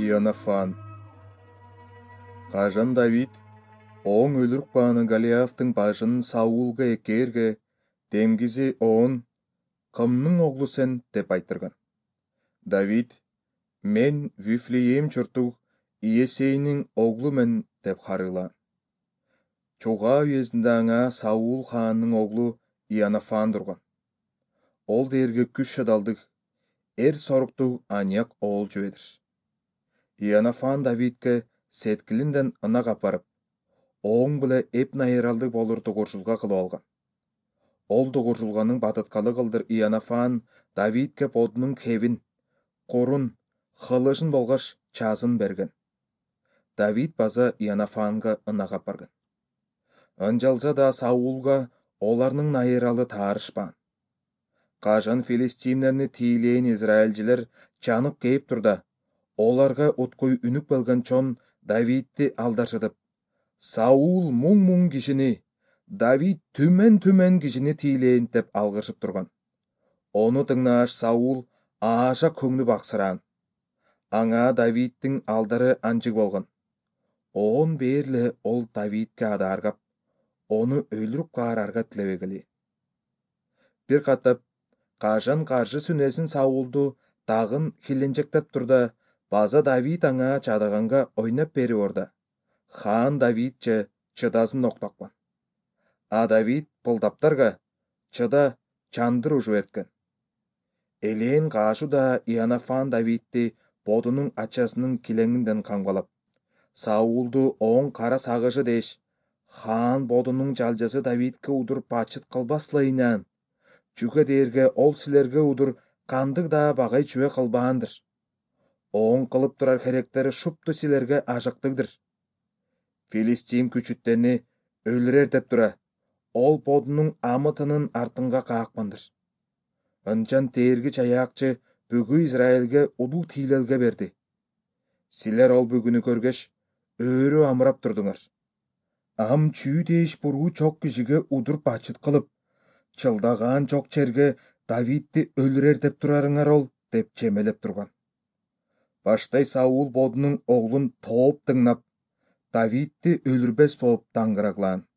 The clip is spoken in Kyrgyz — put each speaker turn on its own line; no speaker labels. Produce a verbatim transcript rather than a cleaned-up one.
Иоаннафан. Кажан Давид оң өлүрүк бааны Голиафтың башын Саулга экээрге демгизи оон «Кымдын оглу сен?» деп айтырган. Давид «Мен Вифлеем чуртуг Иесейнин оглу мен» деп харыйлаан. Чуга уездинде аңа Саул хаандын оглу Иоаннафан турган. Ол дээрге күч шыдалдык, эр соруктук аняк оол жебедир. Иоаннафан Давидке сеткилинден ынак апарып, оң биле эп найыралдык болор дугуржулга кылып алган. Ол дугуржулганын батыткалы кылдыр Иоаннафан Давидке бодунун кебин, курун, хылышын болгоч чазын берген. Давид база Иоаннафанга ынак апарган. Ынжалса да Саулга оларнын найыралы таарышпаан. Кажан филистимлерни тийлээн израилжилер чанып кейип турда, оларга уткуй үнүк болгон чон Давидти алдашытып, Саул муң-муң кишини, Давид түмен-түмен кишини тийлээн деп алгышып турган. Ону тыңнааш Саул ааша көңүлү баксыраан. Аңа Давидтин алдары анчык болгон. Оон бээрле ол Давидке адааргап, ону өлүрүп каарарга тилебегили. Бир катап Кажан каршы сүнөсүн Саулду тагын хиленчектеп турда, база Давид аңа чадыганга ойноп берип орда. Хаан Давидче чыдасын октокпон. А Давид пылдаптарга чыда чандыр ужуп эрткен. Элээн каашу да Иоаннафан Давидти бодунун ачасынын килеңинден камгалап, Саулду оң кара сагышы деш, хаан бодунун жалжасы Давидке удур бачыт кылбаслайынан, чүгө дээрге ол силерге удур кандык да багай чүбө кылбаандыр. Оң кылып турар херектери шупту силерге ажыктыгдыр. Филистим күчүттени өлүрер деп тура, ол бодунун амытынын артынга каакпандыр. Ынчан тээрги чаяакчы бүгү Израилге улуу тийлелге берди. Силер ол бүгүнү көргөч, өөрү амырап турдуңар. Ам чүү дээш буруу чок кишиге удур бачыт кылып, чылдаган чок черге Давидти өлүрер деп турарыңар ол, деп чемелеп турган. Баштай Саул бодунун оглун тооп тыңнап, Давидти өлүрбес болуп даңгыраглаан.